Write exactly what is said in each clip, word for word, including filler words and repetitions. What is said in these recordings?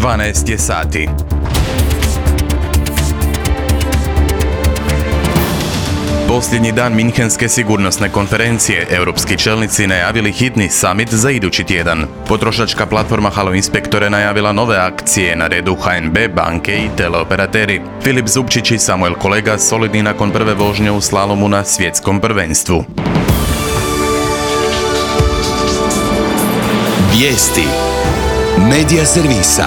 dvanaest je sati. Posljednji dan Minhenske sigurnosne konferencije, europski čelnici najavili hitni summit za idući tjedan. Potrošačka platforma Halo Inspektor je najavila nove akcije, na redu H N B, banke i teleoperateri. Filip Zupčić i Samuel Kolega solidni nakon prve vožnje u slalomu na svjetskom prvenstvu. Vijesti Medija servisa.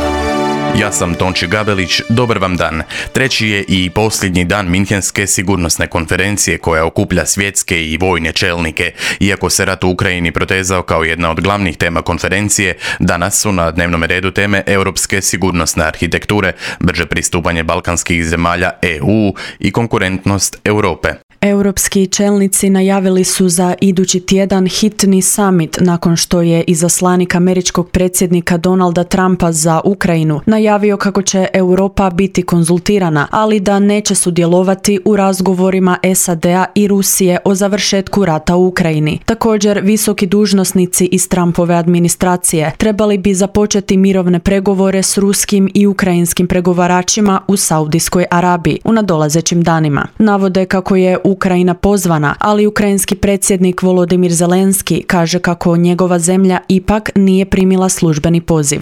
Ja sam Tonči Gabelić, dobar vam dan. Treći je i posljednji dan Minhenske sigurnosne konferencije koja okuplja svjetske i vojne čelnike. Iako se rat u Ukrajini protezao kao jedna od glavnih tema konferencije, danas su na dnevnom redu teme europske sigurnosne arhitekture, brže pristupanje balkanskih zemalja E U i konkurentnost Europe. Europski čelnici najavili su za idući tjedan hitni summit nakon što je izaslanik američkog predsjednika Donalda Trumpa za Ukrajinu najavio kako će Europa biti konzultirana, ali da neće sudjelovati u razgovorima S A D-a i Rusije o završetku rata u Ukrajini. Također, visoki dužnosnici iz Trumpove administracije trebali bi započeti mirovne pregovore s ruskim i ukrajinskim pregovaračima u Saudijskoj Arabiji u nadolazećim danima. Navode kako je Ukrajina pozvana, ali ukrajinski predsjednik Volodimir Zelenski kaže kako njegova zemlja ipak nije primila službeni poziv.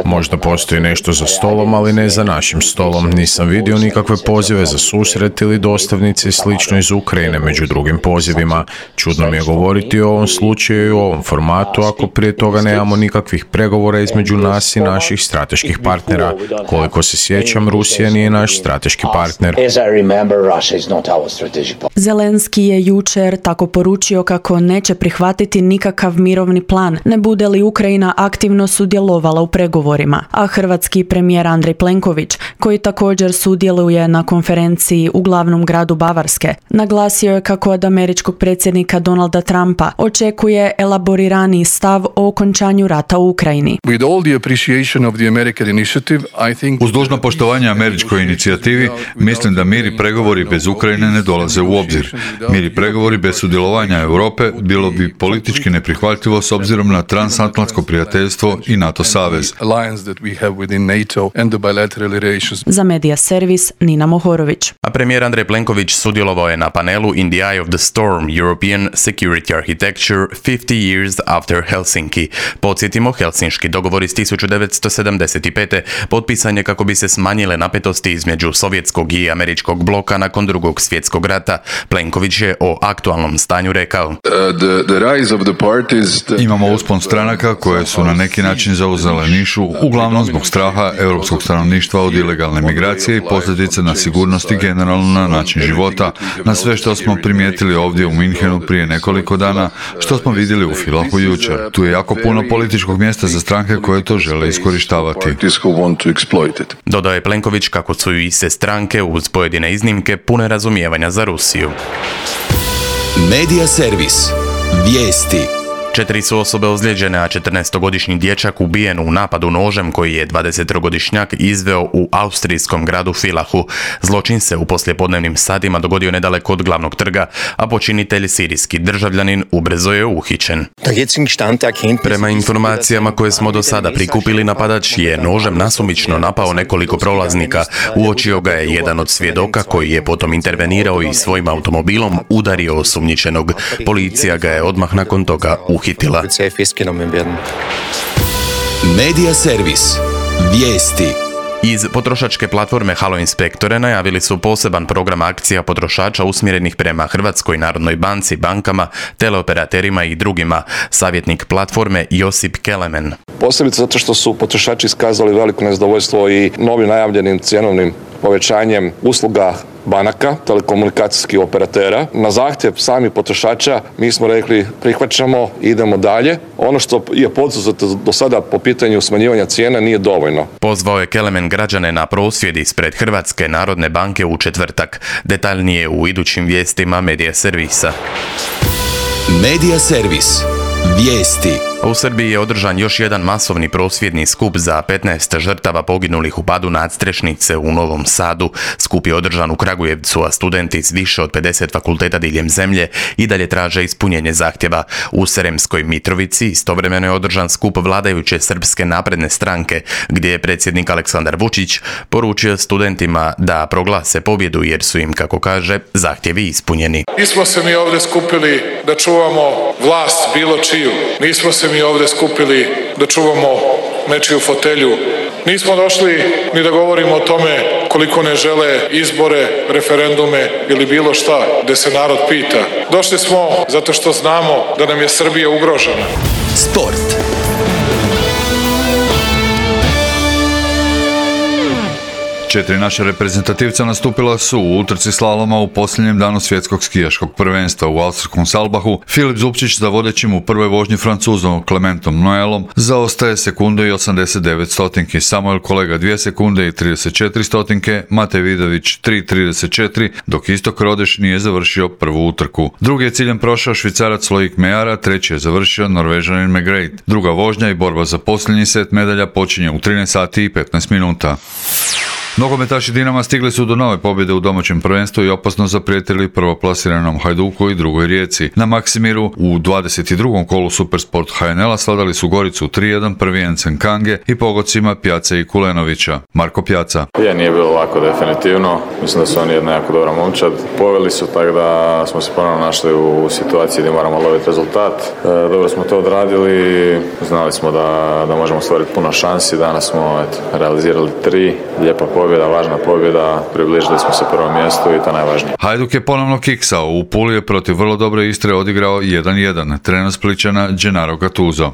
Možda postoji nešto za stolom, ali ne za našim stolom. Nisam vidio nikakve pozive za susret ili dostavnice i slično iz Ukrajine među drugim pozivima. Čudno mi je govoriti o ovom slučaju i u ovom formatu ako prije toga nemamo nikakvih pregovora između nas i naših strateških partnera. Koliko se sjećam, Rusija nije naš strateški partner. Zelenski je jučer tako poručio kako neće prihvatiti nikakav mirovni plan, ne bude li Ukrajina aktivno sudjelovala u pregovorima, a hrvatski premijer Andrej Plenković, koji također sudjeluje na konferenciji u glavnom gradu Bavarske, naglasio je kako od američkog predsjednika Donalda Trumpa očekuje elaboriraniji stav o okončanju rata u Ukrajini. Uz dužno poštovanje američkoj inicijativi, mislim da mir i pregovori bez Ukrajine ne dolaze u obzir. Mir i pregovori bez sudjelovanja Europe bilo bi politički neprihvatljivo s obzirom na transatlantsko prijateljstvo i NATO savez. Za Medija servis Nina Mohorović. A premijer Andrej Plenković sudjelovao je na panelu In the Eye of the Storm, European Security Architecture fifty years after Helsinki. Podsjetimo, helsinški dogovor iz tisuću devetsto sedamdeset pete potpisan je kako bi se smanjile napetosti između sovjetskog i američkog bloka nakon drugog svjetskog rata. Plenković je o aktualnom stanju rekao: uh, the, the rise of the parties, the... Imamo uspon stranaka koje su na neki način zauzele nišu, uglavnom zbog straha europskog stanovništva od ilegalne migracije i posljedice na sigurnost i generalno na način života, na sve što smo primijetili ovdje u Minhenu prije nekoliko dana, što smo vidjeli u Filahu jučer. Tu je jako puno političkog mjesta za stranke koje to žele iskorištavati. Dodao je Plenković kako su i se stranke uz pojedine iznimke pune razumijevanja za Rusiju. Medija servis. Vijesti. Četiri su osobe ozlijeđene, a četrnaestogodišnji dječak ubijen u napadu nožem koji je dvadesettrogodišnjak izveo u austrijskom gradu Filahu. Zločin se u poslijepodnevnim satima dogodio nedaleko od glavnog trga, a počinitelj, sirijski državljanin, ubrzo je uhićen. Prema informacijama koje smo do sada prikupili, napadač je nožem nasumično napao nekoliko prolaznika. Uočio ga je jedan od svjedoka koji je potom intervenirao i svojim automobilom udario osumnjičenog. Policija ga je odmah nakon toga uhitila. Hitila. Medija servis. Vijesti. Iz potrošačke platforme Halo Inspektore najavili su poseban program akcija potrošača usmjerenih prema Hrvatskoj narodnoj banci, bankama, teleoperaterima i drugima. Savjetnik platforme Josip Kelemen. Posebice zato što su potrošači iskazali veliko nezadovoljstvo i novim najavljenim cjenovnim povećanjem usluga banaka, telekomunikacijskih operatera. Na zahtjev samih potrošača mi smo rekli prihvaćamo, idemo dalje. Ono što je poduzeto do sada po pitanju smanjivanja cijena nije dovoljno. Pozvao je Kelemen građane na prosvjed ispred Hrvatske narodne banke u četvrtak. Detaljnije u idućim vijestima Medija servisa. Medija servis. Vijesti. U Srbiji je održan još jedan masovni prosvjedni skup za petnaest žrtava poginulih u padu nadstrešnice u Novom Sadu. Skup je održan u Kragujevcu, a studenti s više od pedeset fakulteta diljem zemlje i dalje traže ispunjenje zahtjeva. U Sremskoj Mitrovici istovremeno je održan skup vladajuće Srpske napredne stranke, gdje je predsjednik Aleksandar Vučić poručio studentima da proglase pobjedu jer su im, kako kaže, zahtjevi ispunjeni. Nismo se mi ovdje skupili da čuvamo vlast bilo čiju. Nismo se mi ovdje skupili da čuvamo nečiju fotelju. Nismo došli ni da govorimo o tome koliko ne žele izbore, referendume ili bilo šta gdje se narod pita. Došli smo zato što znamo da nam je Srbija ugrožena. Sport. Četiri naša reprezentativca nastupila su u utrci slaloma u posljednjem danu svjetskog skijaškog prvenstva u austrijskom Salbahu. Filip Zupčić za vodećim u prvoj vožnji Francuzom Clementom Noelom zaostaje sekundu i osamdeset devet stotinki, Samuel Kolega dvije sekunde i trideset četiri stotinke, Matej Vidović tri trideset četiri, dok Istok Rodeš nije završio prvu utrku. Drugi je ciljem prošao Švicarac Loic Mejara, treći je završio Norvežanin McGrath. Druga vožnja i borba za posljednji set medalja počinje u trinaest sati i petnaest minuta. Nogometaši Dinama stigli su do nove pobjede u domaćem prvenstvu i opasno zaprijetili prvoplasiranom Hajduku i drugoj Rijeci. Na Maksimiru u dvadeset drugom kolu Supersport H N L-a sladali su Goricu tri jedan, prvijencem Kange i pogocima Pjace i Kulenovića. Marko Pjaca. Je, nije bilo lako definitivno. Mislim da su oni jedna jako dobra momčad. Poveli su, tako da smo se ponovno našli u situaciji gdje moramo loviti rezultat. E, dobro smo to odradili. Znali smo da, da možemo stvoriti puno šansi. Danas smo eto, realizirali tri. Lijepa pobjeda, važna pobjeda, približili smo se prvom mjestu i to najvažnije. Hajduk je ponovno kiksao, u Puli je protiv vrlo dobre Istre odigrao jedan jedan. Trener Splićana Gennaro Gattuso.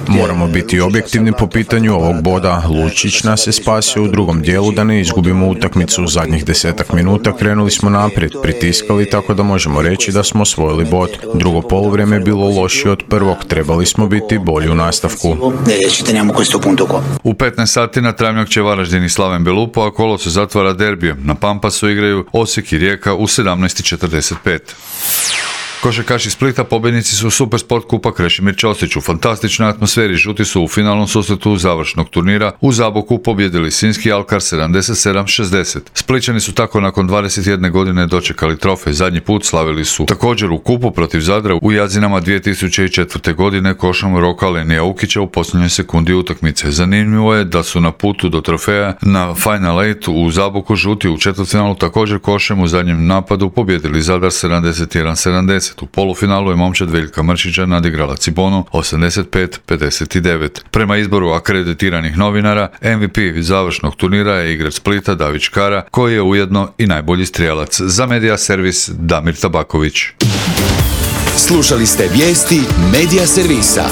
Moramo biti objektivni po pitanju ovog boda. Lučić nas je spasio u drugom dijelu da ne izgubimo utakmicu. U zadnjih desetak minuta krenuli smo naprijed, pritiskali tako da možemo reći da smo osvojili bod. Drugo poluvrijeme je bilo lošije od prvog, trebali smo biti bolji u nastavku. U petnaest sati na Travnjak će Varaždin i Slaven Belupo, a kolo se zatvara derbijem. Na Pampasu igraju Osijek i Rijeka u sedamnaest četrdeset pet. Košarkaši Splita pobjednici su Supersport kupa Krešimir Ćosić. U fantastičnoj atmosferi žuti su u finalnom susretu završnog turnira u Zaboku pobjedili Sinjski Alkar sedamdeset sedam šezdeset. Splićani su tako nakon dvadeset jedne godine dočekali trofej. Zadnji put slavili su također u kupu protiv Zadra u Jazinama dvije tisuće četvrte. godine košom Roka Lenija Ukića u posljednjoj sekundi utakmice. Zanimljivo je da su na putu do trofeja na Final Eight u Zaboku žuti u četvrtfinalu također košem u zadnjem napadu pobjedili Zadar sedamdeset jedan sedamdeset. U polufinalu je momčad Veljka Mršića nadigrala Cibonu osamdeset pet pedeset devet. Prema izboru akreditiranih novinara, M V P završnog turnira je igrač Splita David Škara, koji je ujedno i najbolji strijelac. Za Medija Servis Damir Tabaković. Slušali ste vijesti Medija Servisa.